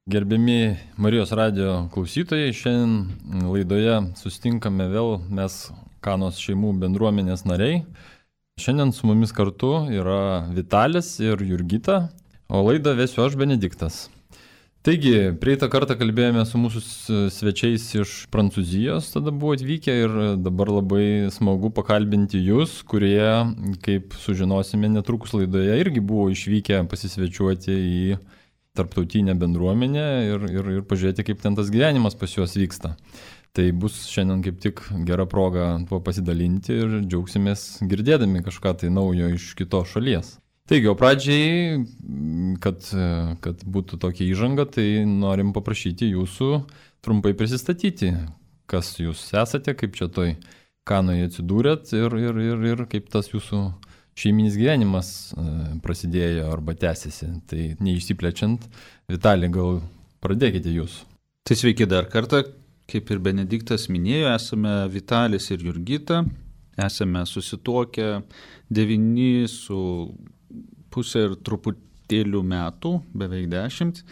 Gerbiami Marijos radijo klausytojai, šiandien laidoje susitinkame vėl mes Kanos šeimų bendruomenės nariai. Šiandien su mumis kartu yra Vitalis ir Jurgita, o laidą vesiu aš, Benediktas. Taigi, praeitą kartą kalbėjome su mūsų svečiais iš Prancūzijos, tada buvo atvykę ir dabar labai smagu pakalbinti jūs, kurie, kaip sužinosime netrukus laidoje, irgi buvo išvykę pasisvečiuoti į tarptautinę bendruomenę ir pažiūrėti, kaip ten tas gyvenimas pas juos vyksta. Tai bus šiandien kaip tik gera proga tuo pasidalinti ir džiaugsimės girdėdami kažką tai naujo iš kitos šalies. Taigi, o pradžiai, kad būtų tokia įžanga, tai norim paprašyti jūsų trumpai prisistatyti, kas jūs esate, kaip čia toj Kanoje atsidūrėt ir kaip tas jūsų šeiminis gyvenimas prasidėjo arba tęsiasi. Tai neišsiplečiant, Vitalij, gal pradėkite jūs. Tai sveiki dar kartą, kaip ir Benediktas minėjo, esame Vitalis ir Jurgita, esame susituokę 9 su pusė ir truputėlių metų, beveik 10.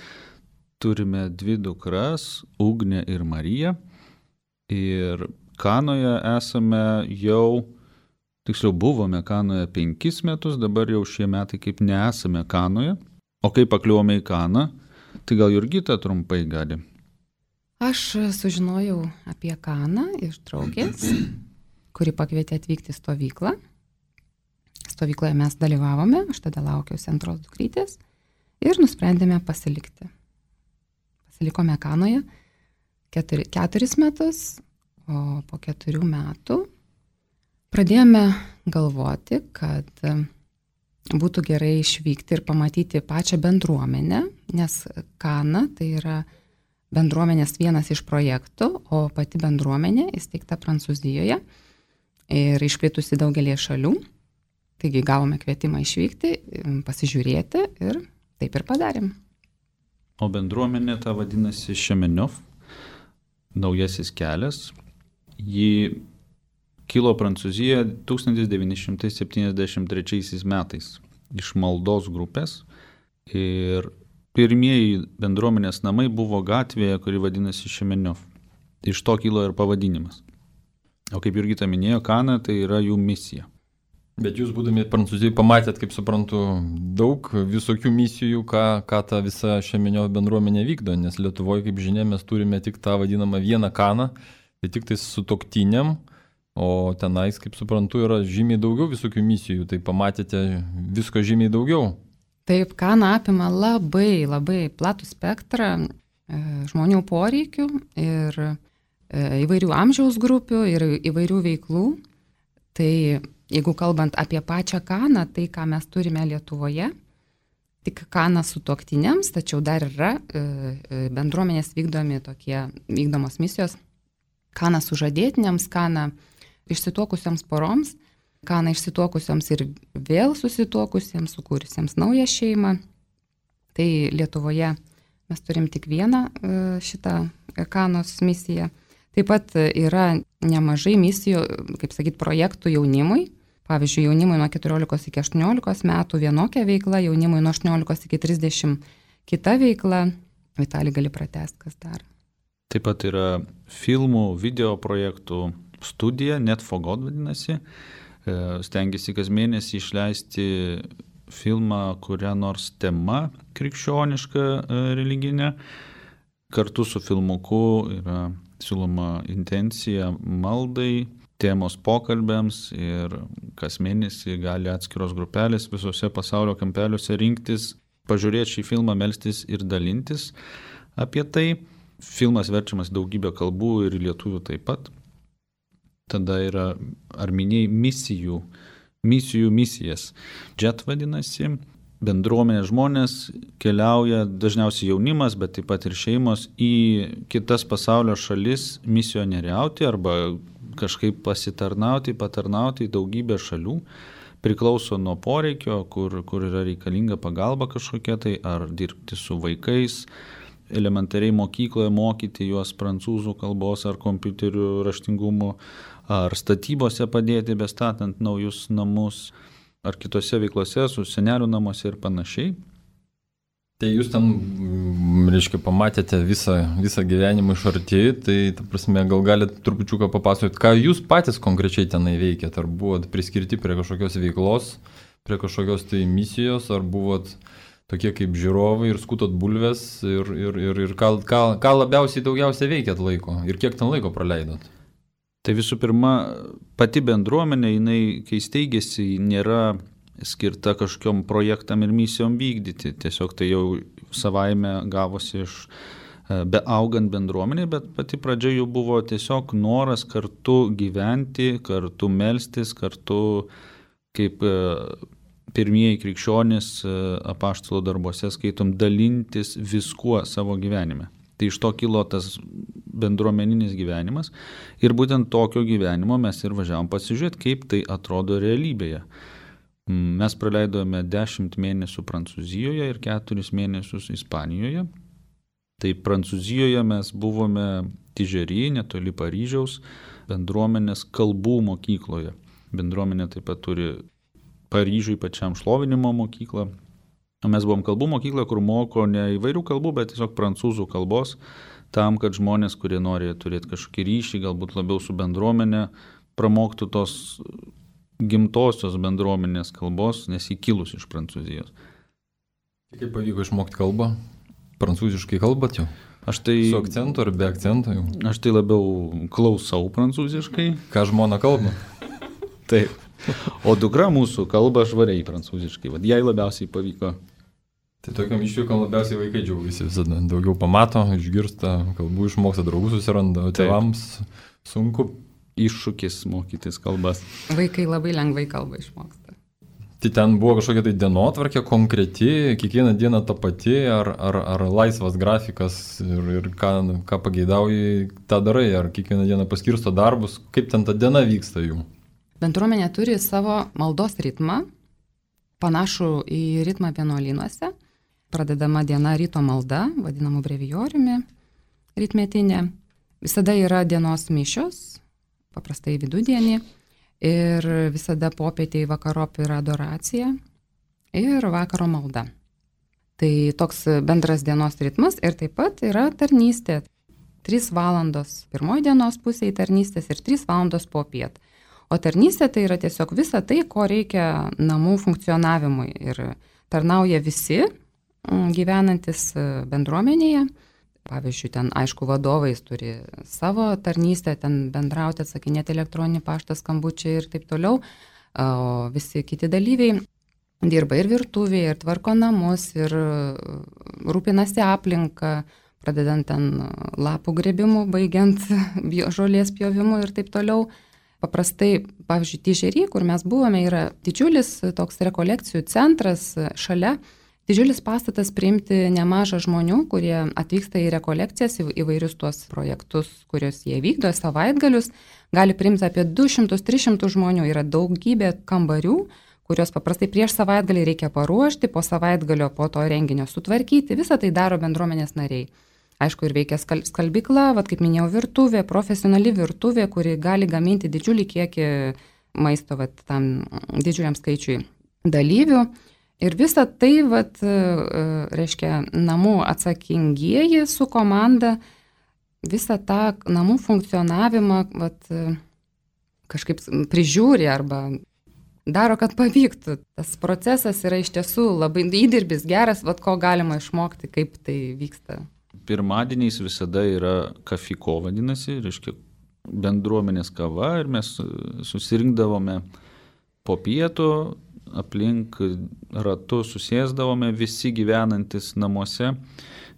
Turime 2 dukras, Ugnę ir Mariją. Ir Kanoje esame tiksliau buvome Kanoje 5 metus, dabar jau šie metai kaip nesame Kanoje. O kaip pakliuvome į Kaną, tai gal Jurgita trumpai gali. Aš sužinojau apie Kaną iš draugės, kuri pakvietė atvykti į stovyklą. Stovykloje mes dalyvavome, aš tada laukiausi antros dukrytės ir nusprendėme pasilikti. Pasilikome Kanoje 4 metus, o po 4 metų pradėjome galvoti, kad būtų gerai išvykti ir pamatyti pačią bendruomenę, nes Kana tai yra bendruomenės vienas iš projektų, o pati bendruomenė įsteigta Prancūzijoje ir išplitusi daugelį šalių. Taigi gavome kvietimą išvykti, pasižiūrėti ir taip ir padarėm. O bendruomenė ta vadinasi Šemeniov, naujasis kelias. Ji kilo Prancūzijoje 1973 metais iš maldos grupės ir pirmieji bendruomenės namai buvo gatvėje, kuri vadinasi Šemeniov. Iš to kilo ir pavadinimas. O kaip Jurgita minėjo, Kana tai yra jų misija. Bet jūs būdami Prancūzijoje pamatėt, kaip suprantu, daug visokių misijų, ką ta visa Šemeniov bendruomenė vykdo, nes Lietuvoje, kaip žinia, mes turime tik tą vadinamą vieną Kaną, tai tik tai sutuoktiniam. O tenais, kaip suprantu, yra žymiai daugiau visokių misijų, tai pamatėte visko žymiai daugiau. Taip, Kana apima labai platų spektrą žmonių poreikių ir įvairių amžiaus grupių ir įvairių veiklų. Tai jeigu kalbant apie pačią Kaną, tai ką mes turime Lietuvoje, tik Kana sutuoktiniams, tačiau dar yra bendruomenės vykdomos misijos. Kana sužadėtiniams, Kana išsituokusiems poroms, Kana išsituokusioms ir vėl susituokusiems, sukūrusiems naują šeimą. Tai Lietuvoje mes turim tik vieną šitą Kanos misiją. Taip pat yra nemažai misijų, kaip sakyt, projektų jaunimui. Pavyzdžiui, jaunimui nuo 14 iki 18 metų vienokia veikla, jaunimui nuo 18 iki 30 kita veikla. Vitalij, gali pratęsti, kas dar. Taip pat yra filmų, video projektų studija, Net for God vadinasi. Stengiasi kas mėnesį išleisti filmą, kurią nors tema krikščioniška religinė. Kartu su filmuku yra siūloma intencija maldai, temos pokalbėms ir kas mėnesį gali atskiros grupelės visose pasaulio kampeliuose rinktis, pažiūrėti šį filmą, melstis ir dalintis apie tai. Filmas verčiamas daugybę kalbų ir lietuvių taip pat. Tada yra, ar minėjai, misijas. JET vadinasi. Bendruomenės žmonės keliauja, dažniausiai jaunimas, bet taip pat ir šeimos, į kitas pasaulio šalis misionieriauti arba kažkaip patarnauti į daugybę šalių. Priklauso nuo poreikio, kur yra reikalinga pagalba kažkokia tai, ar dirbti su vaikais, elementariai mokykloje mokyti juos prancūzų kalbos ar kompiuterių raštingumo, ar statybose padėti bestatant naujus namus, ar kitose veiklose su senelių namuose ir panašiai. Tai jūs ten reiškia, pamatėte visą gyvenimą iš arti, tai, ta prasme, gal galite trupučiuką papasakoti, ką jūs patys konkrečiai tenai veikėt, ar buvot priskirti prie kažkokios veiklos, prie kažkokios tai misijos, ar buvot tokie kaip žiūrovai ir skutot bulves ir ką labiausiai daugiausiai veikėt laiko ir kiek ten laiko praleidot? Tai visų pirma, pati bendruomenė, jinai, kai steigėsi, nėra skirta kažkokiom projektam ir misijom vykdyti. Tiesiog tai jau savaime gavosi iš beaugant bendruomenė, bet pati pradžia jau buvo tiesiog noras kartu gyventi, kartu melstis, kartu kaip pirmieji krikščionys apaštalo darbuose skaitom dalintis viskuo savo gyvenime. Tai iš to kilo tas bendruomeninis gyvenimas ir būtent tokio gyvenimo mes ir važiavom pasižiūrėti, kaip tai atrodo realybėje. Mes praleidome 10 mėnesių Prancūzijoje ir 4 mėnesius Ispanijoje. Tai Prancūzijoje mes buvome Tižery, netoli Paryžiaus, bendruomenės kalbų mokykloje. Bendruomenė taip pat turi Paryžiui pačiam šlovinimo mokyklą. Mes buvom kalbų mokykla, kur moko ne įvairių kalbų, bet tiesiog prancūzų kalbos, tam, kad žmonės, kurie nori turėti kažkokį ryšį, galbūt labiau su bendruomenė, pramoktų tos gimtosios bendruomenės kalbos, nes jį kilus iš Prancūzijos. Kaip pavyko išmokti kalbą? Prancūziškai kalbat jau? Su akcentu ar be akcentu jau? Aš tai labiau klausau prancūziškai. Ką žmona kalba? Taip. O dukra mūsų kalba švariai prancūziškai. Jai labiausiai pavyko. Tai tokiam išvykom labiausiai vaikai džiaugiasi visada. Daugiau pamato, išgirsta, kalbų išmoksta, draugų susiranda, o tėvams sunku. Iššūkis mokytis kalbas. Vaikai labai lengvai kalbą išmoksta. Tai ten buvo kažkokia tai dienotvarkė konkreti, kiekvieną dieną ta pati, ar laisvas grafikas ir ką pageidauji, tą darai, ar kiekvieną dieną paskirsto darbus, kaip ten ta diena vyksta jų? Bendruomenė turi savo maldos ritmą, panašų į ritmą vienuolynuose. Pradedama diena ryto malda, vadinamų brevijoriumi, rytmetinė. Visada yra dienos mišios, paprastai vidudienį, ir visada popietėj vakarop yra adoracija ir vakaro malda. Tai toks bendras dienos ritmas ir taip pat yra tarnystė. 3 valandos pirmoji dienos pusėje tarnystės ir 3 valandos popiet. O tarnystė tai yra tiesiog visa tai, ko reikia namų funkcionavimui ir tarnauja visi gyvenantis bendruomenėje. Pavyzdžiui, ten aišku vadovais turi savo tarnystę, ten bendrauti, atsakinėti elektroninį paštą, skambučiai ir taip toliau. O visi kiti dalyviai dirba ir virtuvėje, ir tvarko namus, ir rūpinasi aplinką, pradedant ten lapų grėbimu, baigiant žolės pjovimu ir taip toliau. Paprastai, pavyzdžiui, Tižery, kur mes buvome, yra didžiulis toks rekolekcijų centras šalia, didžiulis pastatas priimti nemažą žmonių, kurie atvyksta į rekolekcijas, įvairius tuos projektus, kuriuos jie vykdo, savaitgalius, gali priimti apie 200-300 žmonių, yra daugybė kambarių, kuriuos paprastai prieš savaitgalį reikia paruošti, po savaitgalio po to renginio sutvarkyti, visą tai daro bendruomenės nariai. Aišku, ir veikia skalbykla, kaip minėjau, virtuvė, profesionali virtuvė, kuri gali gaminti didžiulį kiekį maisto tam didžiuliam skaičiui dalyvių. Ir visa tai, reiškia, namų atsakingieji su komanda, visą tą namų funkcionavimą kažkaip prižiūri arba daro, kad pavyktų. Tas procesas yra iš tiesų labai įdirbis geras, ko galima išmokti, kaip tai vyksta. Pirmadieniais visada yra kafiko vadinasi, reiškia bendruomenės kava ir mes susirinkdavome po pietų, aplink ratu susėsdavome visi gyvenantis namuose,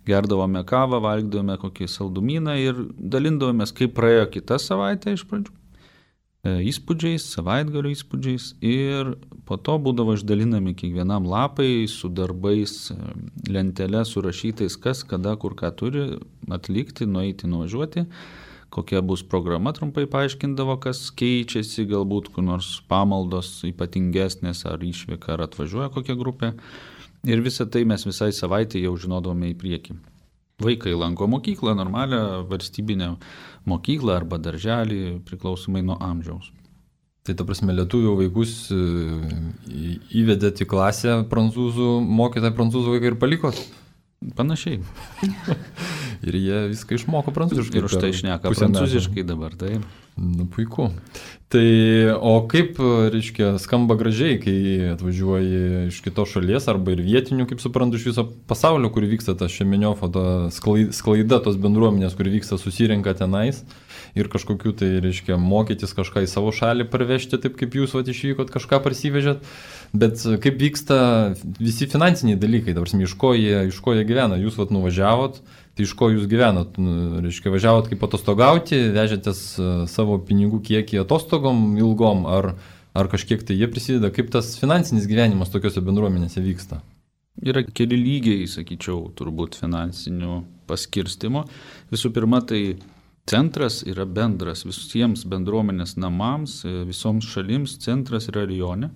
gerdavome kavą, valgydavome kokį saldumyną ir dalindavomės, kaip praėjo kitą savaitę iš pradžių. Įspūdžiais, savaitgalio įspūdžiais ir po to būdavo išdalinami kiekvienam lapai su darbais, lentelė surašytais, kas, kada, kur ką turi atlikti, nueiti, nuvažiuoti, kokia bus programa, trumpai paaiškindavo, kas keičiasi, galbūt kur nors pamaldos ypatingesnės ar išvyka, ar atvažiuoja kokia grupė. Ir visą tai mes visai savaitę jau žinodavome į priekį. Vaikai lanko mokyklą, normalią valstybinę mokyklą arba darželį, priklausomai nuo amžiaus. Tai ta prasme, lietuvių vaikus įvedėt į klasę prancūzų, mokytą prancūzų vaiką ir palikot? Panašiai. Ir jie viską išmoko prancūziškai. Ir už tai šneka prancūziškai dabar, taip. Nu, puiku. Tai, o kaip, reiškia, skamba gražiai, kai atvažiuoji iš kitos šalies arba ir vietinių, kaip suprantu, iš viso pasaulio, kur vyksta ta Šemeniofo, ta sklaida tos bendruomenės, kur vyksta, susirenka tenais ir kažkokiu tai, reiškia, mokytis kažką į savo šalį parvežti, taip kaip jūs išvykot, kažką parsivežėt. Bet kaip vyksta visi finansiniai dalykai, dabar iš ko jie gyvena, jūs nuvažiavot, tai iš ko jūs gyvenat, reiškia, važiavot kaip atostogauti, vežėtės savo pinigų kiekį atostogom ilgom, ar kažkiek tai jie prisideda, kaip tas finansinis gyvenimas tokiuose bendruomenėse vyksta? Yra keli lygiai, sakyčiau, turbūt finansinių paskirstimo. Visų pirma, tai centras yra bendras visiems bendruomenės namams, visoms šalims, centras yra rajone.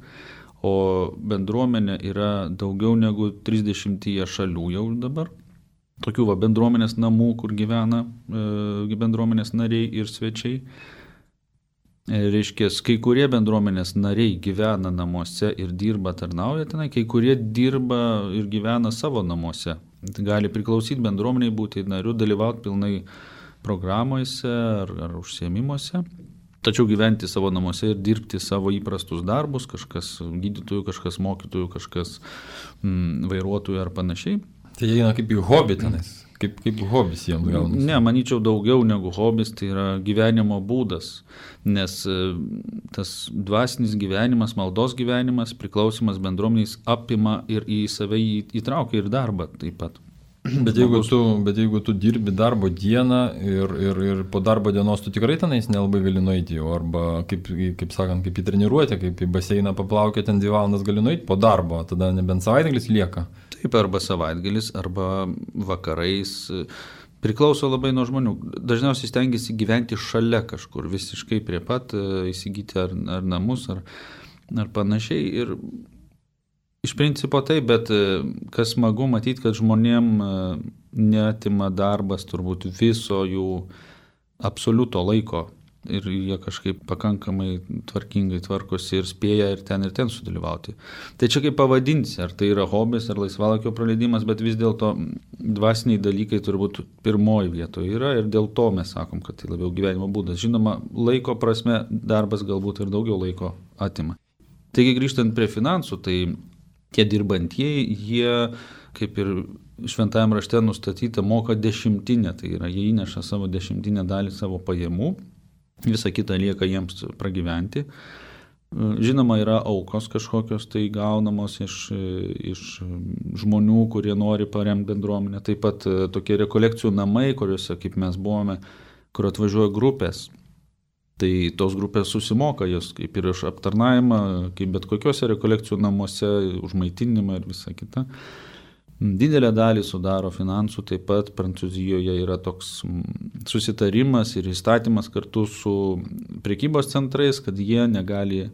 O bendruomenė yra daugiau negu 30 šalių jau dabar. Tokių bendruomenės namų, kur gyvena bendruomenės nariai ir svečiai. Reiškia, kai kurie bendruomenės nariai gyvena namuose ir dirba, tarnauja tenai, kai kurie dirba ir gyvena savo namuose. Tai gali priklausyti bendruomeniai, būti nariu, dalyvauti pilnai programuose ar užsiėmimuose. Tačiau gyventi savo namuose ir dirbti savo įprastus darbus, kažkas gydytojų, kažkas mokytojų, kažkas vairuotojų ar panašiai. Tai jie eina kaip į hobį tenais, kaip hobis jiems gaunasi. Ne, manyčiau daugiau negu hobis, tai yra gyvenimo būdas, nes tas dvasinis gyvenimas, maldos gyvenimas, priklausimas bendruomeniais apima ir į save įtraukia ir darbą taip pat. Bet jeigu tu dirbi darbo dieną ir po darbo dienos tu tikrai tenais nelabai gali nueiti jau, arba kaip sakant, kaip į treniruotę, kaip į baseiną paplaukė, ten 2 valandas gali nueiti po darbo, tada nebent savaitgalis lieka. Taip, arba savaitgalis, arba vakarais. Priklauso labai nuo žmonių. Dažniausiai stengiasi gyventi šalia kažkur, visiškai prie pat, įsigyti ar namus, ar panašiai. Ir iš principo taip, bet kas smagu matyti, kad žmonėm neatima darbas turbūt viso jų absoliuto laiko ir jie kažkaip pakankamai tvarkingai tvarkosi ir spėja ir ten sudalyvauti. Tai čia kaip pavadinsi, ar tai yra hobis ar laisvalaikio praleidimas, bet vis dėlto dvasiniai dalykai turbūt pirmoji vietoje yra ir dėl to mes sakom, kad tai labiau gyvenimo būdas. Žinoma, laiko prasme darbas galbūt ir daugiau laiko atima. Taigi grįžtant prie finansų, tai tie dirbantieji, jie, kaip ir šventajame rašte nustatyta, moka 10, tai yra, jie įneša savo 10 dalį savo pajamų, visa kita lieka jiems pragyventi. Žinoma, yra aukos kažkokios tai gaunamos iš žmonių, kurie nori paremti bendruomenę. Taip pat tokie rekolekcijų namai, kuriuose, kaip mes buvome, kur atvažiuoja grupės. Tai tos grupės susimoka jos kaip ir iš aptarnavimą, kaip bet kokiuose rekolekcijų namuose, už maitinimą ir visa kita. Didelę dalį sudaro finansų, taip pat Prancūzijoje yra toks susitarimas ir įstatymas kartu su prekybos centrais, kad jie negali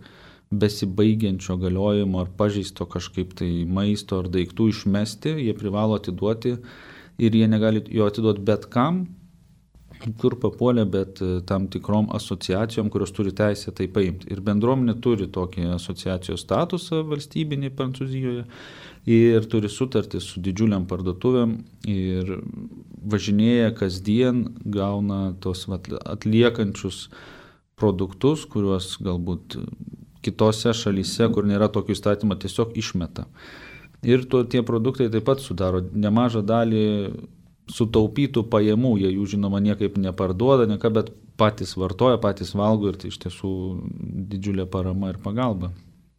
besibaigiančio galiojimo ar pažeisto kažkaip tai maisto ar daiktų išmesti, jie privalo atiduoti ir jie negali jo atiduoti bet kam, kur papuolė, bet tam tikrom asociacijom, kurios turi teisę tai paimti. Ir bendruomenė turi tokį asociacijos statusą valstybinį Prancūzijoje ir turi sutartį su didžiuliam parduotuvėm ir važinėja kasdien, gauna tos atliekančius produktus, kuriuos galbūt kitose šalyse, kur nėra tokio įstatymo, tiesiog išmeta. Ir tie produktai taip pat sudaro nemažą dalį sutaupytų pajamų, jie jų žinoma niekaip neparduoda, bet patys vartoja, patys valgo ir tai iš tiesų didžiulė parama ir pagalba.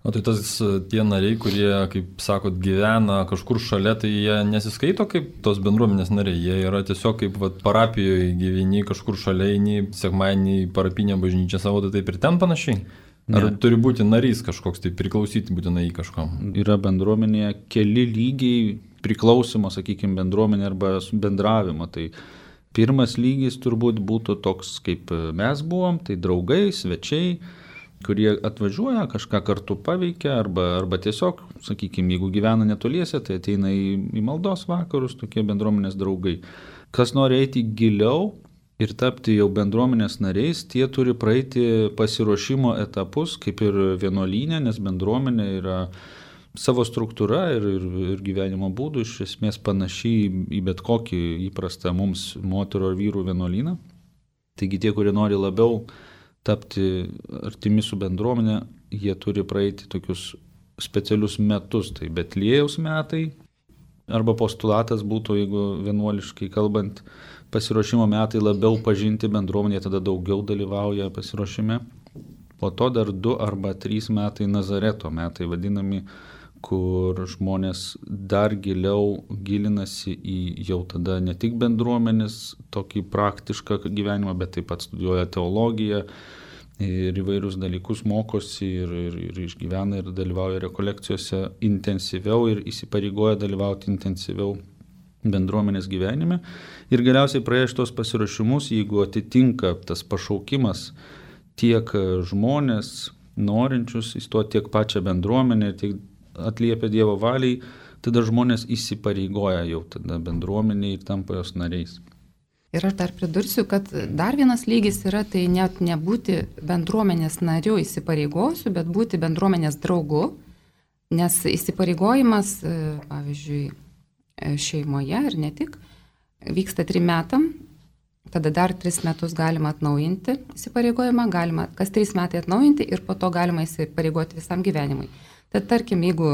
O tai tie nariai, kurie, kaip sakot, gyvena kažkur šalia, tai jie nesiskaito kaip tos bendruomenės nariai, jie yra tiesiog kaip parapijoje gyveni kažkur šalia, eini sekmadienį į parapinę bažnyčią savo, tai taip ir ten panašiai? Ar turi būti narys kažkoks, tai priklausyti būtinai į kažkam? Yra bendruomenėje keli lygiai priklausimo, sakykime, bendruomenė arba bendravimo. Tai pirmas lygis turbūt būtų toks, kaip mes buvom, tai draugai, svečiai, kurie atvažiuoja, kažką kartu paveikia, arba tiesiog, sakykime, jeigu gyvena netoliese, tai ateina į maldos vakarus, tokie bendruomenės draugai. Kas nori eiti giliau ir tapti jau bendruomenės nariais, tie turi praeiti pasiruošimo etapus, kaip ir vienuolynė, nes bendruomenė yra savo struktūra ir gyvenimo būdų iš esmės panašiai į bet kokį įprastą mums moterų ar vyrų vienuolyną. Taigi tie, kurie nori labiau tapti artimi su bendruomenė, jie turi praeiti tokius specialius metus, tai Betliejaus metai, arba postulatas būtų, jeigu vienuoliškai kalbant, pasiruošimo metai labiau pažinti bendruomenė, tada daugiau dalyvauja pasiruošime. Po to dar 2 arba 3 metai Nazareto metai vadinami, kur žmonės dar giliau gilinasi į jau tada ne tik bendruomenės tokį praktišką gyvenimą, bet taip pat studijuoja teologiją ir įvairius dalykus mokosi ir išgyvena ir dalyvauja rekolekcijose intensyviau ir įsipareigoja dalyvauti intensyviau bendruomenės gyvenime. Ir galiausiai praėjus tos pasiruošimus, jeigu atitinka tas pašaukimas tiek žmonės norinčius įstoti, tiek pačią bendruomenę, tiek atliepia Dievo valiai, tada žmonės įsipareigoja jau tada bendruomeniai ir tampa jos nariais. Ir aš dar pridursiu, kad dar vienas lygis yra tai net nebūti bendruomenės nariu įsipareigosiu, bet būti bendruomenės draugu, nes įsipareigojimas, pavyzdžiui, šeimoje ir ne tik, vyksta 3 metam, tada dar 3 metus galima atnaujinti įsipareigojimą, galima kas 3 metai atnaujinti ir po to galima įsipareigoti visam gyvenimui. Tad tarkim, jeigu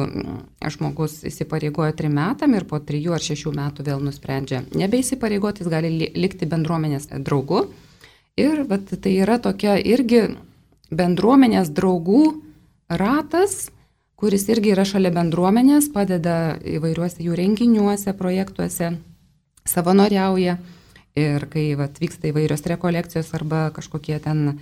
žmogus įsipareigoja 3 metam ir po 3 ar 6 metų vėl nusprendžia nebeįsipareigoti, jis gali likti bendruomenės draugu. Ir tai yra tokia irgi bendruomenės draugų ratas, kuris irgi yra šalia bendruomenės, padeda įvairiuose jų renginiuose, projektuose, savanoriauja. Ir kai vyksta įvairios rekolekcijos arba kažkokie ten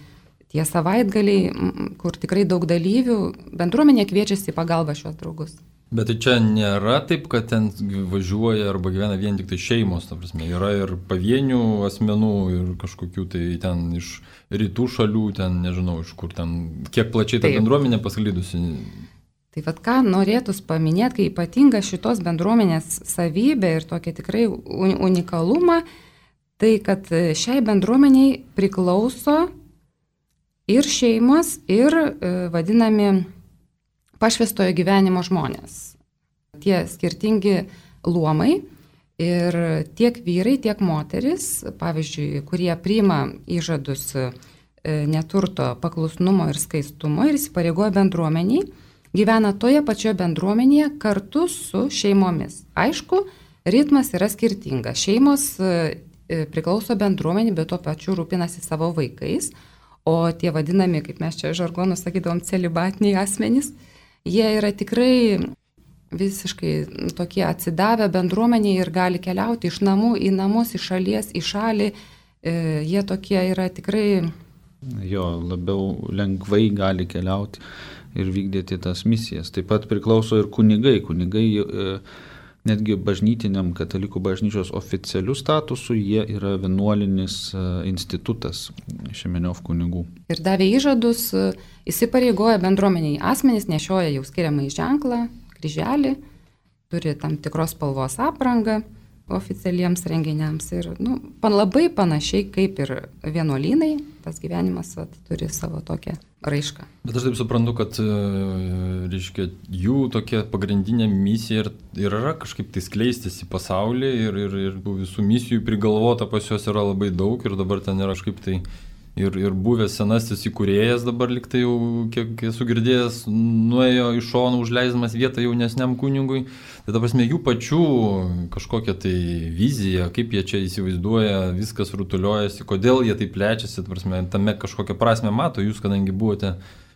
tie savaitgaliai, kur tikrai daug dalyvių, bendruomenė kviečiasi į pagalbą šios draugus. Bet tai čia nėra taip, kad ten važiuoja arba gyvena vien tik tai šeimos, ta prasme, yra ir pavienių asmenų ir kažkokių tai ten iš rytų šalių, ten nežinau iš kur ten, kiek plačiai ta bendruomenė pasklidusi. Tai ką norėtus paminėti, kai ypatinga šitos bendruomenės savybė ir tokia tikrai unikalumą, tai kad šiai bendruomeniai priklauso ir šeimos, ir vadinami pašvęstojo gyvenimo žmonės. Tie skirtingi luomai ir tiek vyrai, tiek moteris, pavyzdžiui, kurie priima įžadus neturto, paklusnumo ir skaistumo ir įsipareigoja bendruomeniai, gyvena toje pačioje bendruomenėje kartu su šeimomis. Aišku, ritmas yra skirtingas. Šeimos priklauso bendruomenį, bet tuo pačiu rūpinasi savo vaikais. O tie vadinami, kaip mes čia žargonu sakydavom, celibatiniai asmenys, jie yra tikrai visiškai tokie atsidavę bendruomeniai ir gali keliauti iš namų į namus, iš šalies į šalį. Jie tokie yra tikrai... Jo, labiau lengvai gali keliauti ir vykdyti tas misijas. Taip pat priklauso ir kunigai. Kunigai netgi bažnytiniam katalikų bažnyčios oficialių statusų jie yra vienuolinis institutas Šemeniov kunigų. Ir davė įžadus, įsipareigoja bendruomeniai asmenys, nešioja jau skiriamąjį ženklą, kryželį, turi tam tikros spalvos aprangą oficialiems renginiams ir labai panašiai kaip ir vienuolynai, tas gyvenimas turi savo tokią raišką. Bet aš taip suprantu, kad reiškia, jų tokia pagrindinė misija ir yra kažkaip tai skleistis į pasaulį ir visų misijų prigalvota pas juos yra labai daug ir dabar ten yra kažkaip tai ir buvęs senasis įkūrėjas dabar liktai jau, kiek esu girdėjęs, nuėjo iš šono užleisdamas vietą jaunesniam kunigui. Tai ta prasme, jų pačių kažkokia tai vizija, kaip jie čia įsivaizduoja, viskas rutuliojasi, kodėl jie taip plečiasi, ta prasme, tame kažkokią prasme mato, jūs kadangi buvote,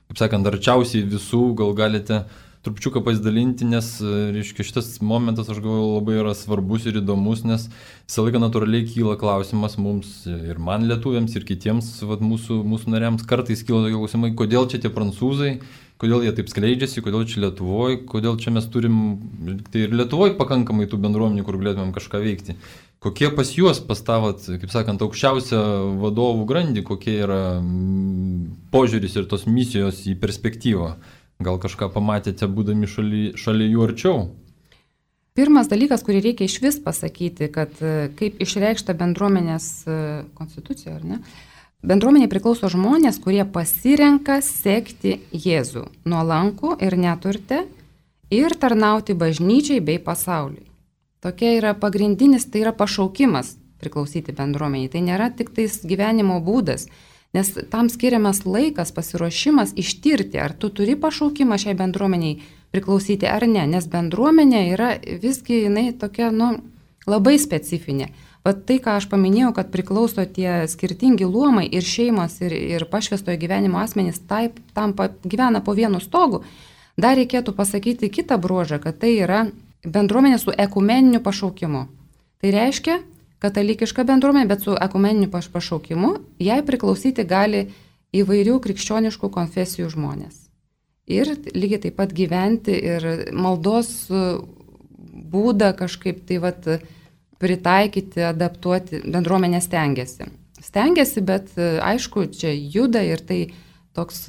kaip sakant, arčiausiai visų, gal galite trupučiuką pasidalinti, nes, reiškia, šitas momentas, aš galvoju, labai yra svarbus ir įdomus, nes visą laiką natūraliai kyla klausimas mums ir man lietuviams, ir kitiems mūsų nariams kartais kyla tokie klausimai, kodėl čia tie prancūzai, kodėl jie taip skleidžiasi, kodėl čia Lietuvoje, kodėl čia mes turim tai ir Lietuvoje pakankamai tų bendruomenių, kur galėtumėm kažką veikti. Kokie pas juos pastavat, kaip sakant, aukščiausią vadovų grandį, kokie yra požiūris ir tos misijos į perspektyvą? Gal kažką pamatėte, būdami šalia jų arčiau? Pirmas dalykas, kurį reikia iš vis pasakyti, kad kaip išreikšta bendruomenės konstitucija, ar ne? Bendruomenė priklauso žmonės, kurie pasirenka sekti Jėzų nuolankų ir neturtę ir tarnauti bažnyčiai bei pasauliui. Tokia yra pagrindinis, tai yra pašaukimas priklausyti bendruomeniai. Tai nėra tik tais gyvenimo būdas, nes tam skiriamas laikas, pasiruošimas ištirti, ar tu turi pašaukimą šiai bendruomeniai priklausyti ar ne, nes bendruomenė yra visgi jinai tokia, labai specifinė. Vat tai, ką aš paminėjau, kad priklauso tie skirtingi luomai ir šeimos, ir pašvęstojo gyvenimo asmenys tam gyvena po vienu stogu, dar reikėtų pasakyti kitą bruožą, kad tai yra bendruomenė su ekumeniniu pašaukimu. Tai reiškia, katalikiška bendruomenė, bet su ekumeniniu pašaukimu, jai priklausyti gali įvairių krikščioniškų konfesijų žmonės. Ir lygiai taip pat gyventi ir maldos būdą kažkaip tai pritaikyti, adaptuoti, bendruomenė stengiasi. Stengiasi, bet aišku, čia juda ir tai toks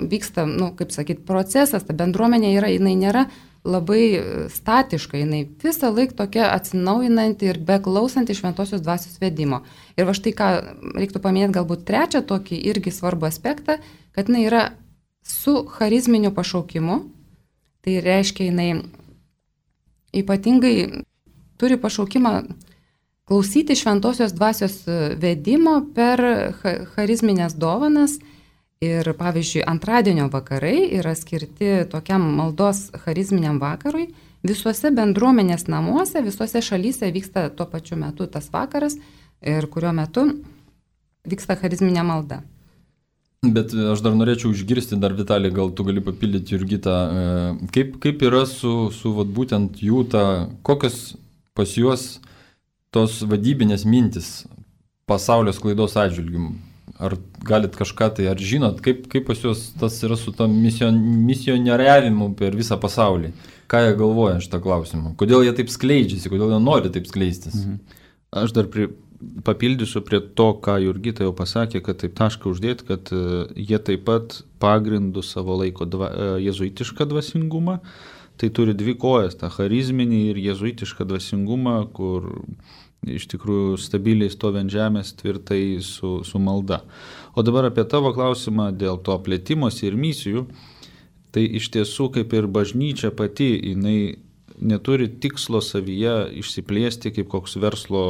vyksta, kaip sakyt, procesas, ta bendruomenė jinai nėra labai statiška, jinai visą laiką tokia atsinaujinanti ir beklausanti šventosios dvasios vedimo. Ir va štai ką reiktų paminėti galbūt trečią tokį irgi svarbų aspektą, kad jinai yra su charizminiu pašaukimu, tai reiškia jinai ypatingai turi pašaukimą klausyti šventosios dvasios vedimo per charizminės dovanas. Ir pavyzdžiui, antradienio vakarai yra skirti tokiam maldos charizminiam vakarui. Visuose bendruomenės namuose, visuose šalyse vyksta tuo pačiu metu tas vakaras, ir kurio metu vyksta charizminė malda. Bet aš dar norėčiau išgirsti, Vitalij, gal tu gali papildyti Jurgitą, kaip yra su būtent jų kokios pas juos tos vadybinės mintis pasaulio sklaidos atžvilgiu. Ar galit kažką tai, ar žinot, kaip pas juos tas yra su tam misionieriavimu per visą pasaulį? Ką jie galvoja šitą klausimą? Kodėl jie taip skleidžiasi, kodėl jie nori taip skleistis? Aš dar papildysiu prie to, ką Jurgita jau pasakė, kad taip tašką uždėti, kad jie taip pat pagrindų savo laiko jezuitišką dvasingumą. Tai turi dvi kojas, tą charizminį ir jezuitišką dvasingumą, kur iš tikrųjų stabiliai stovi ant žemės tvirtai su malda. O dabar apie tavo klausimą dėl to plėtimosi ir misijų. Tai iš tiesų, kaip ir bažnyčia pati, jinai neturi tikslo savyje išsiplėsti kaip koks verslo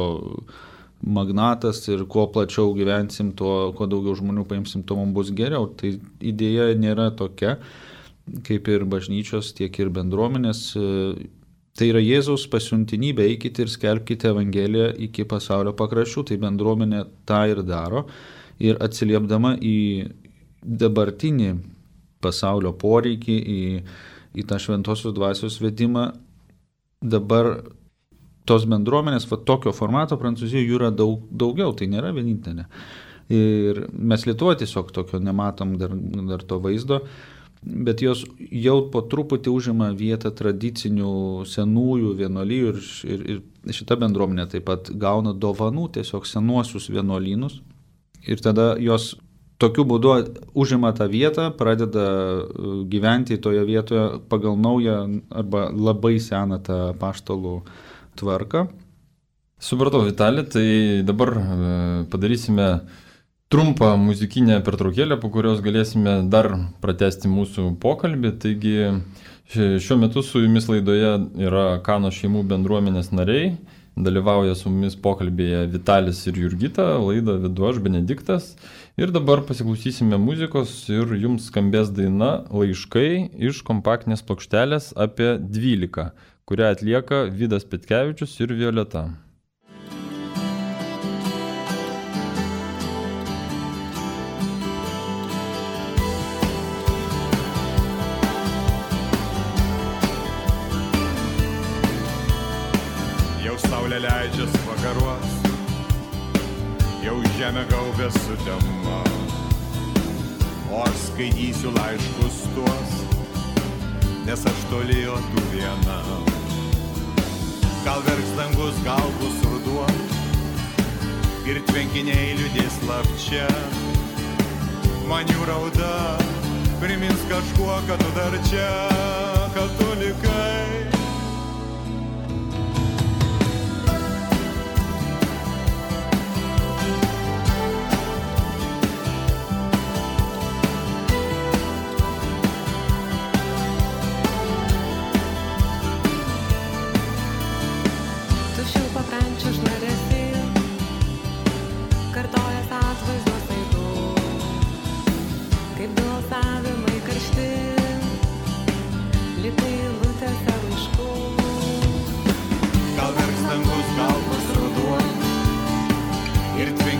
magnatas ir kuo plačiau gyvensim, kuo daugiau žmonių paimsim, tuo mums bus geriau. Tai idėja nėra tokia, kaip ir bažnyčios, tiek ir bendruomenės. Tai yra Jėzaus pasiuntinybė, eikite ir skelbkite Evangeliją iki pasaulio pakraščių. Tai bendruomenė tą ir daro. Ir atsiliepdama į dabartinį pasaulio poreikį, į tą šventosios dvasios vedimą, dabar tos bendruomenės, tokio formato Prancūzijoje jų yra daugiau, tai nėra vienintelė. Ir mes Lietuvoje tiesiog tokio nematom dar to vaizdo, bet jos jau po truputį užima vietą tradicinių senųjų vienuolijų ir šita bendruomenė taip pat gauna dovanų tiesiog senuosius vienuolynus ir tada jos tokiu būdu užima tą vietą, pradeda gyventi toje vietoje pagal naują arba labai seną tą apaštalų tvarką. Supratau, Vitalij, tai dabar padarysime trumpą muzikinę pertraukėlę, po kurios galėsime dar pratęsti mūsų pokalbį. Taigi šiuo metu su jumis laidoje yra Kanos šeimų bendruomenės nariai. Dalyvauja su mumis pokalbėje Vitalijus ir Jurgita, laidą vedu aš, Benediktas. Ir dabar pasiklausysime muzikos ir jums skambės daina Laiškai iš kompaktinės plokštelės apie 12, kurią atlieka Vidas Petkevičius ir Violeta. Saulė leidžias vakaruos, jau žemė gaubė sutema, o aš skaitysiu laiškus tuos, nes aš toli, o tu viena. Gal verks dangus, gal bus ruduo, ir tvenkiniai liūdės slapčia. Man jų rauda primins kažkuo, kad tu dar čia, kad tu likai.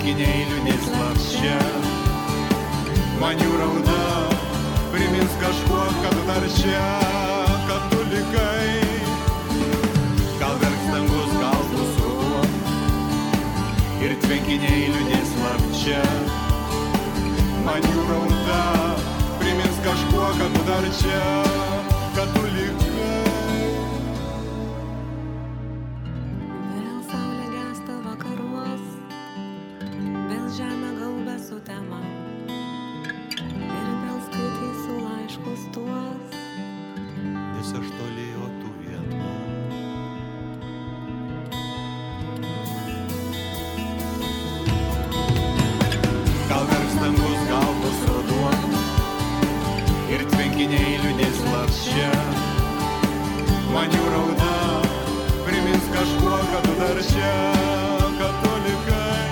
tvenkiniai liūdės slapčia. Man jų rauda primins kažkuo, kad dar čia, kad tu likai. Gal verks dangus, gal bus ruduo ir tvenkiniai liūdės slapčia. Man jų rauda primins kažkuo, kad tu dar čia, kad tu likai. Vėl saulė gęsta vakaruos, vėl žemė gaubia sutema ir vėl skaitysiu laiškus tuos, Nes aš toli, o tu viena. Gal verks dangus, gal bus ruduo ir tvenkiniai liūdės slapčia. Man jų rauda primins kažkuo, kad tu dar čia, kad tu likai.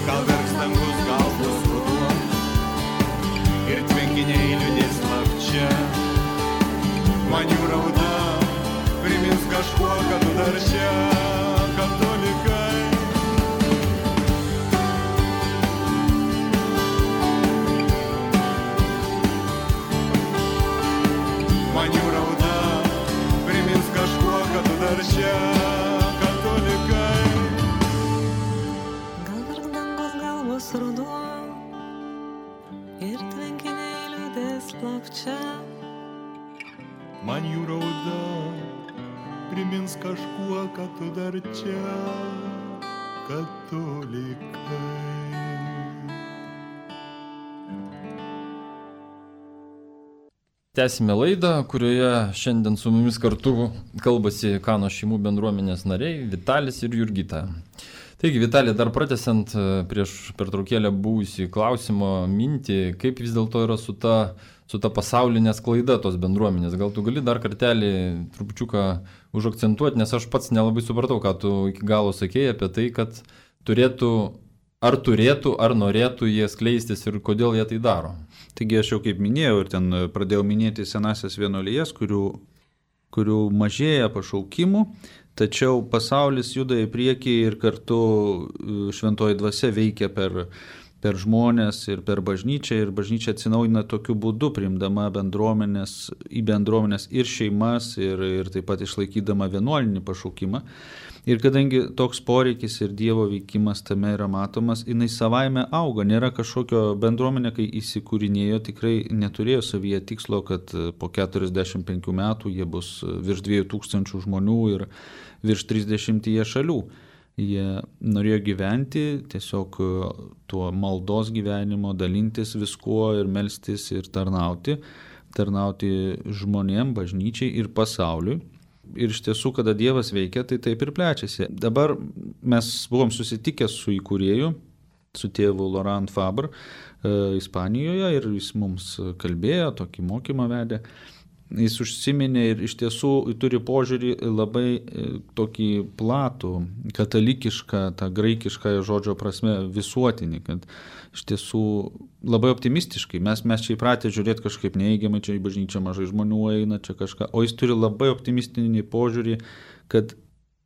Gal verks dangus, gal bus ruduo ir tvenkiniai liūdės slapčia. Man jų rauda primins kažkuo, kad tu dar čia, kad tu likai. Man jų rauda primins kažkuo, kad tu dar čia, kad tu likai. gal verks dangus, gal bus ruduo ir tvenkiniai liūdės slapčia. Man jų rauda primins kažkuo, kad tu dar čia, kad tu likai. Tęsime laidą, kurioje šiandien su mumis kartu kalbasi Kanos šeimų bendruomenės nariai Vitalis ir Jurgita. Taigi, Vitalija, dar pratęsiant prieš pertraukėlę buvusį klausimo mintį, kaip vis dėlto yra su ta pasaulinė sklaida tos bendruomenės. Gal tu gali dar kartelį trupučiuką užakcentuoti, nes aš pats nelabai supratau, ką tu iki galo sakėjai apie tai, kad turėtų, ar norėtų jie skleistis ir kodėl jie tai daro. Taigi aš jau kaip minėjau ir ten pradėjau minėti senasias vienuolijas, kurių mažėja pašaukimų, tačiau pasaulis juda į priekį ir kartu šventoji dvasia veikia per žmonės ir per bažnyčią, ir bažnyčia atsinaujina tokiu būdu, priimdama į bendruomenės ir šeimas, ir taip pat išlaikydama vienuolinį pašaukimą. Ir kadangi toks poreikis ir Dievo veikimas tame yra matomas, jinai savaime auga. Nėra kažkokio bendruomenė, kai įsikūrinėjo, tikrai neturėjo savyje tikslo, kad po 45 metų jie bus virš 2000 žmonių ir virš 30 šalių. Jie norėjo gyventi tiesiog tuo maldos gyvenimo, dalintis viskuo ir melstis ir tarnauti žmonėm, bažnyčiai ir pasauliui. Ir iš tiesų, kada Dievas veikia, tai taip ir plečiasi. Dabar mes buvom susitikę su įkūrėju, su tėvu Laurent Fabre Ispanijoje, ir jis mums kalbėjo, tokį mokymą vedė. Jis užsiminė ir iš tiesų turi požiūrį labai tokį platų, katalikišką, tą graikišką žodžio prasme visuotinį, kad iš tiesų labai optimistiškai. Mes čia įpratę žiūrėti kažkaip neigiamai, čia į bažnyčią mažai žmonių eina, čia kažką, o jis turi labai optimistinį požiūrį, kad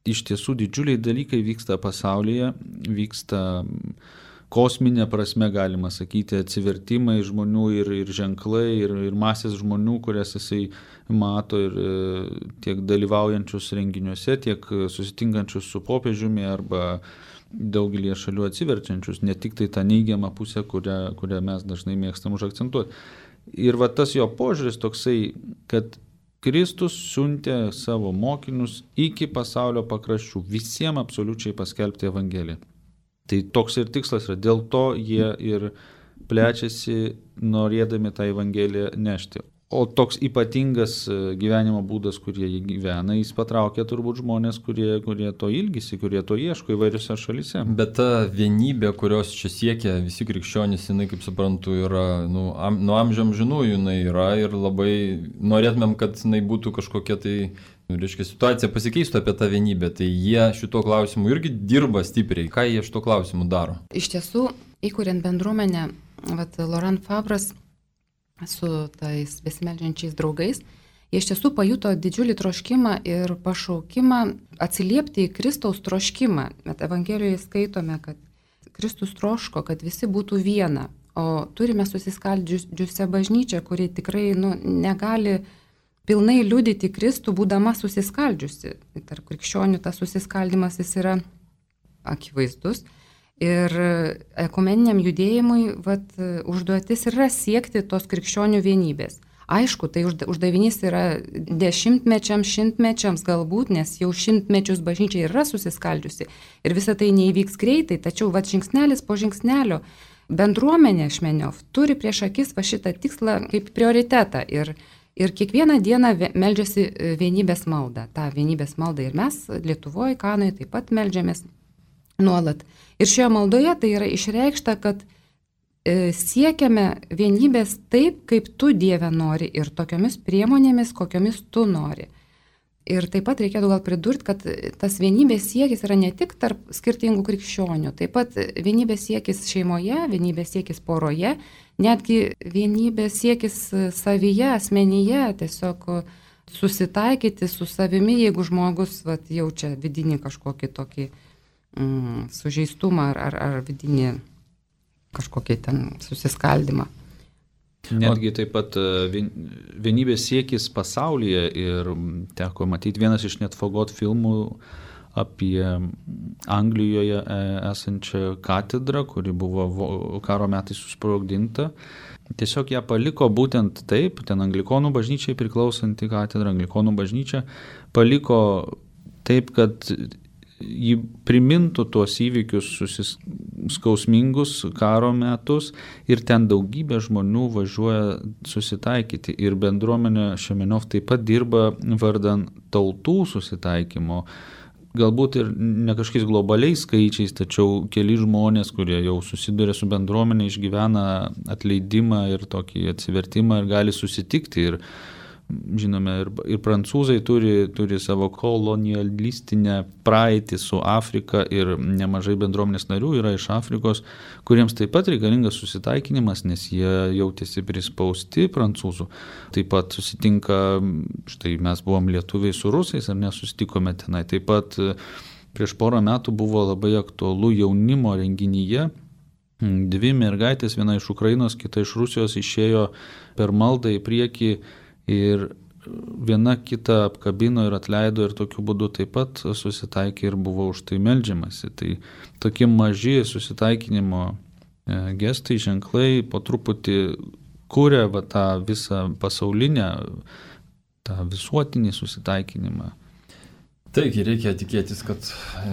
iš tiesų didžiuliai dalykai vyksta pasaulyje, vyksta kosminė prasme, galima sakyti, atsivertimai žmonių ir ženklai, ir masės žmonių, kurias jisai mato, ir tiek dalyvaujančius renginiuose, tiek susitinkančius su popiežiumi arba daugelį šalių atsiverčiančius, ne tik tai tą neigiamą pusę, kurią mes dažnai mėgstam užakcentuoti. Ir va tas jo požiūris toksai, kad Kristus siuntė savo mokinius iki pasaulio pakraščių, visiems absoliučiai paskelbti Evangeliją. Tai toks ir tikslas yra, dėl to jie ir plečiasi, norėdami tą Evangeliją nešti. O toks ypatingas gyvenimo būdas, kurie jį gyvena, jis patraukia turbūt žmonės, kurie to ilgisi, kurie to ieško įvairiose šalyse. Bet ta vienybė, kurios čia siekia visi krikščionys, jinai, kaip suprantu, yra nuo amžių amžinųjų jinai yra, ir labai norėtumėm, kad jinai būtų kažkokia tai, reiškia, situacija pasikeistų apie tą vienybę. Tai jie šito klausimu irgi dirba stipriai. Ką jie šito klausimu daro? Iš tiesų, įkuriant bendruomenę, Laurent Fabras su tais besimeldžiančiais draugais, jie iš tiesų pajuto didžiulį troškimą ir pašaukimą atsiliepti į Kristaus troškimą. Bet Evangelijoje skaitome, kad Kristus troško, kad visi būtų viena, o turime susiskaldžiusią bažnyčią, kuri tikrai negali pilnai liudyti Kristų, būdama susiskaldžiusi. Tarp krikščionių tas susiskaldimas jis yra akivaizdus. Ir ekumeniniam judėjimui užduotis yra siekti tos krikščionių vienybės. Aišku, tai uždavinys yra dešimtmečiams, šimtmečiams galbūt, nes jau šimtmečius bažnyčia yra susiskaldžiusi. Ir visa tai neįvyks greitai, tačiau žingsnelis po žingsnelio bendruomenė Šmeniov turi prieš akis šitą tikslą kaip prioritetą. Ir kiekvieną dieną meldžiasi vienybės maldą. Ta vienybės malda ir mes Lietuvoje, Kanoje taip pat meldžiamės nuolat. Ir šioje maldoje tai yra išreikšta, kad siekiame vienybės taip, kaip tu, Dieve, nori ir tokiomis priemonėmis, kokiomis tu nori. Ir taip pat reikėtų gal pridurti, kad tas vienybės siekis yra ne tik tarp skirtingų krikščionių, taip pat vienybės siekis šeimoje, vienybės siekis poroje, netgi vienybės siekis savyje, asmenyje, tiesiog susitaikyti su savimi, jeigu žmogus jaučia vidinį kažkokį tokį sužeistumą ar vidinį kažkokį ten susiskaldimą. Netgi taip pat vienybės siekis pasaulyje ir teko matyti vienas iš Net Fagot filmų apie Anglijoje esančią katedrą, kuri buvo karo metais susprogdinta. Tiesiog ją paliko būtent taip, ten Anglikonų bažnyčiai priklausanti katedra, Anglikonų bažnyčia paliko taip, kad jį primintų tuos įvykius skausmingus karo metus ir ten daugybė žmonių važiuoja susitaikyti ir bendruomenė Šemeniov taip pat dirba vardan tautų susitaikymo. Galbūt ir ne kažkokiais globaliais skaičiais, tačiau keli žmonės, kurie jau susiduria su bendruomenė, išgyvena atleidimą ir tokį atsivertimą ir gali susitikti. Ir žinome, ir prancūzai turi savo kolonialistinę praeitį su Afrika ir nemažai bendruomenės narių yra iš Afrikos, kuriems taip pat reikalingas susitaikinimas, nes jie jautėsi prispausti prancūzų. Taip pat susitinka, štai mes buvom lietuviai su rusais ar nesusitikome tenai. Taip pat prieš porą metų buvo labai aktualu jaunimo renginyje. Dvi mergaitės, viena iš Ukrainos, kita iš Rusijos, išėjo per maldą į priekį ir viena kitą apkabino ir atleido ir tokiu būdu taip pat susitaikė ir buvo už tai meldžiamasi. Tai tokie maži susitaikinimo gestai, ženklai po truputį kūrė tą visą pasaulinę, tą visuotinį susitaikinimą. Taigi reikia tikėtis, kad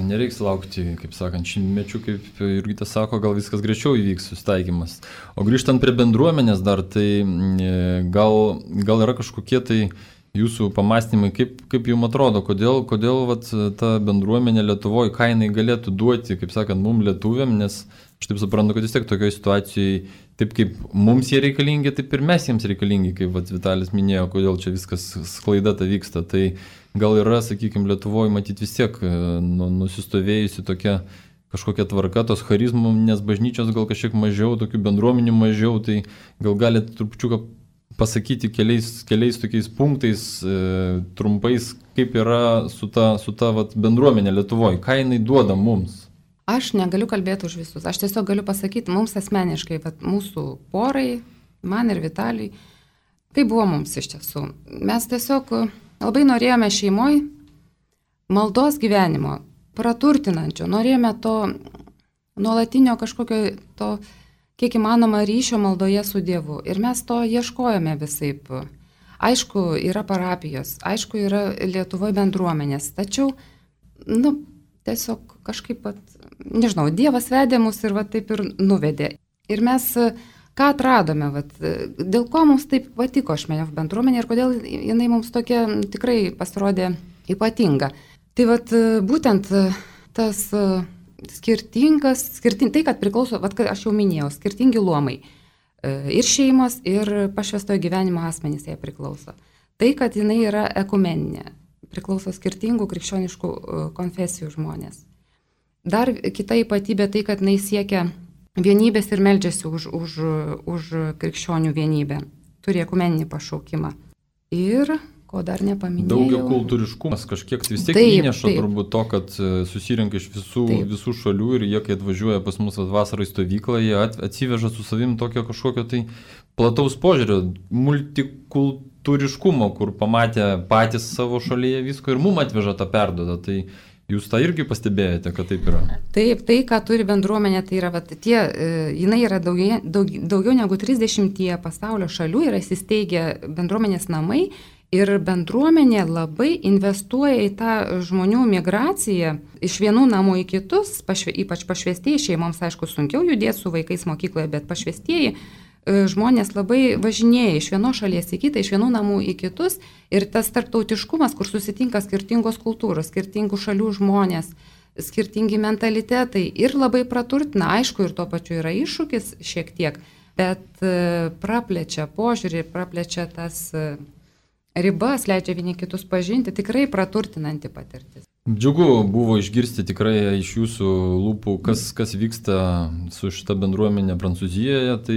nereiks laukti, kaip sakant, šimtmečių, kaip Jurgita sako, gal viskas greičiau įvyks susitaikymas. O grįžtant prie bendruomenės dar, tai gal yra kažkokie tai jūsų pamastymai, kaip jums atrodo, kodėl ta bendruomenė Lietuvoje, ką jinai galėtų duoti, kaip sakant, mums lietuviam, nes aš taip suprantu, kad vis tiek tokioje situacijoje, taip kaip mums jie reikalingi, taip ir mes jiems reikalingi, kaip Vitalis minėjo, kodėl čia viskas sklaida ta vyksta. Tai gal yra, sakykime, Lietuvoje matyti vis tiek nusistovėjusi tokia kažkokia tvarka, tos charizminės bažnyčios gal kažkiek mažiau, tokių bendruomenių mažiau, tai gal galite trupučiuką pasakyti keliais tokiais punktais, trumpais, kaip yra su ta bendruomenė Lietuvoje, ką jinai duoda mums. Aš negaliu kalbėti už visus, aš tiesiog galiu pasakyti mums asmeniškai, mūsų porai, man ir Vitaliui, tai buvo mums iš tiesų. Mes tiesiog labai norėjome šeimoje maldos gyvenimo, praturtinančio, norėjome to nuolatinio kažkokio to, kiek įmanoma, ryšio maldoje su Dievu. Ir mes to ieškojome visaip. Aišku, yra parapijos, aišku, yra Lietuvoje bendruomenės, tačiau, tiesiog kažkaip, nežinau, Dievas vedė mus ir taip ir nuvedė. Ir mes ką atradome, dėl ko mums taip patiko Šmeniov bendruomenė ir kodėl jinai mums tokia tikrai pasirodė ypatinga. Tai būtent tas tai, kad priklauso, kad aš jau minėjau, skirtingi luomai. Ir šeimos, ir pašvęstojo gyvenimo asmenys jai priklauso. Tai, kad jinai yra ekumeninė, priklauso skirtingų krikščioniškų konfesijų žmonės. Dar kita ypatybė tai, kad jinai siekia vienybės ir meldžiasi už krikščionių vienybę. Turi ekumeninį pašaukimą. Ir ko dar nepaminėjau. Daugia kultūriškumas kažkiek vis tiek įneša turbūt to, kad susirinka iš visų šalių ir jie, kai atvažiuoja pas mus vasarai stovyklą, jie atsiveža su savim tokio kažkokio tai plataus požiūrio, multikultūriškumo, kur pamatė patys savo šalyje visko ir mum atveža tą perduodą. Tai jūs tą irgi pastebėjote, kad taip yra? Taip, tai, ką turi bendruomenė, tai yra, jinai yra daugiau negu 30 pasaulio šalių, yra įsisteigę bendruomenės namai ir bendruomenė labai investuoja į tą žmonių migraciją iš vienų namų į kitus, ypač pašvestieji šeimoms, aišku, sunkiau judėti su vaikais mokykloje, bet pašvestieji žmonės labai važinėja iš vienos šalies į kitą, iš vienų namų į kitus ir tas tarptautiškumas, kur susitinka skirtingos kultūros, skirtingų šalių žmonės, skirtingi mentalitetai ir labai praturtina, aišku, ir tuo pačiu yra iššūkis šiek tiek, bet praplečia požiūrį, praplečia tas ribas, leidžia vieni kitus pažinti, tikrai praturtinanti patirtis. Džiugu buvo išgirsti tikrai iš jūsų lūpų, kas vyksta su šita bendruomenė Prancūzijoje. Tai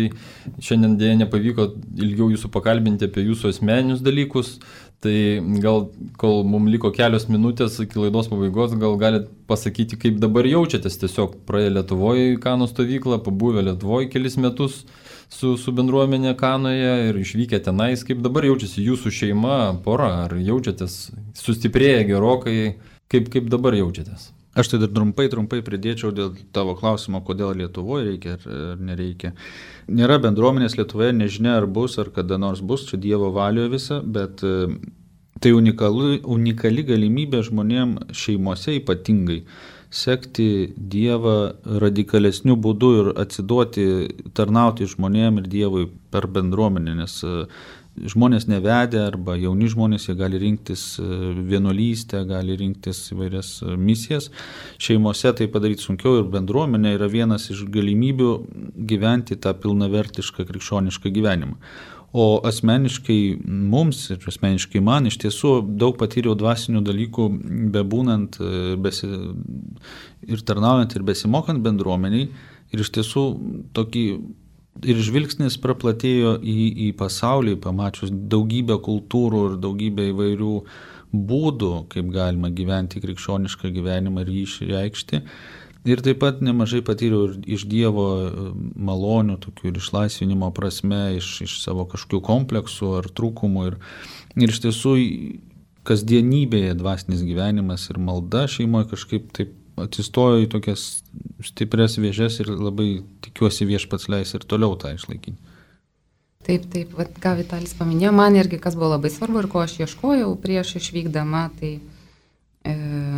šiandien dėja nepavyko ilgiau jūsų pakalbinti apie jūsų asmeninius dalykus. Tai gal, kol mums liko kelios minutės iki laidos pabaigos, gal galite pasakyti, kaip dabar jaučiatės. Tiesiog praėję Lietuvoje į Kano stovyklą, pabuvę Lietuvoje kelis metus su bendruomenė Kanoje ir išvykę tenais. Kaip dabar jaučiasi jūsų šeima, pora? Ar jaučiatės sustiprėję gerokai? Kaip dabar jaučiatės? Aš tai dar trumpai pridėčiau dėl tavo klausimo, kodėl Lietuvoje reikia ar nereikia. Nėra bendruomenės Lietuvoje, nežinia ar bus, ar kada nors bus, čia Dievo valioje visa, bet tai unikali galimybė žmonėms šeimose ypatingai sekti Dievą radikalesniu būdu ir atsiduoti, tarnauti žmonėms ir Dievui per bendruomenę, nes žmonės nevedę arba jauni žmonės, jie gali rinktis vienuolystę, gali rinktis įvairias misijas. Šeimose tai padaryti sunkiau ir bendruomenė yra vienas iš galimybių gyventi tą pilnavertišką krikščionišką gyvenimą. O asmeniškai mums ir asmeniškai man iš tiesų daug patyriau dvasinių dalykų bebūnant ir tarnaujant ir besimokant bendruomeniai ir iš tiesų tokį ir žvilgsnis praplatėjo į pasaulį, pamačius daugybę kultūrų ir daugybę įvairių būdų, kaip galima gyventi krikščionišką gyvenimą ir jį išreikšti. Ir taip pat nemažai patyriau ir iš Dievo malonių, tokių ir išlaisvinimo prasme, iš savo kažkokių kompleksų ar trūkumų. Ir iš tiesų kasdienybėje dvasinis gyvenimas ir malda šeimoje kažkaip taip atsistojo į tokias stiprias vėžes ir labai tikiuosi Viešpats leis ir toliau tą išlaikyti. Taip, ką Vitalis paminėjo, man irgi kas buvo labai svarbu ir ko aš ieškojau prieš išvykdama, tai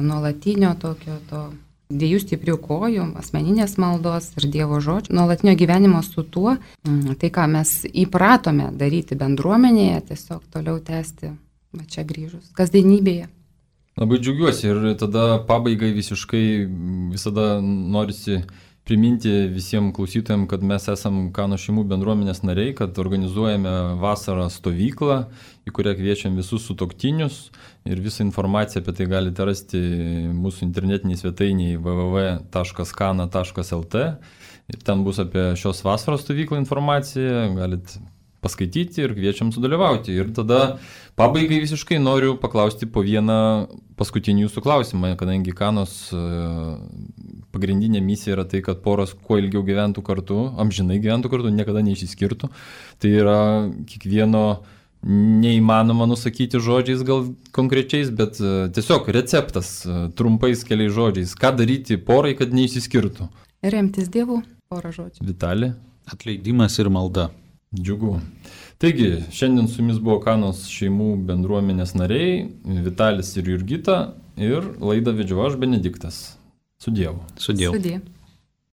nuolatinio tokio to dviejų stiprių kojų, asmeninės maldos ir Dievo žodžio, nuolatinio gyvenimo su tuo, tai ką mes įpratome daryti bendruomenėje, tiesiog toliau tęsti va čia grįžus, kasdienybėje. Labai džiaugiuosi ir tada pabaigai visiškai visada norisi priminti visiems klausytojams, kad mes esam Kano šeimų bendruomenės nariai, kad organizuojame vasarą stovyklą, į kurią kviečiam visus sutuoktinius ir visą informaciją apie tai galite rasti mūsų internetiniai svetainiai www.kana.lt ir ten bus apie šios vasaros stovyklą informacija, galite paskaityti ir kviečiam sudalyvauti. Ir tada pabaigai visiškai noriu paklausti po vieną paskutinį jūsų klausimą, kadangi Kanos pagrindinė misija yra tai, kad poros kuo ilgiau gyventų kartu, amžinai gyventų kartu, niekada neišsiskirtų. Tai yra kiekvieno neįmanoma nusakyti žodžiais gal konkrečiais, bet tiesiog receptas trumpais keliais žodžiais. Ką daryti porai, kad neišsiskirtų? Remtis Dievu, porą žodžių. Vitali? Atleidimas ir malda. Džiugu. Taigi, šiandien su jumis buvo Kanos šeimų bendruomenės nariai, Vitalis ir Jurgita, ir laidą vedžiau aš, Benediktas. Su Dievu. Su Dievu. Sudie.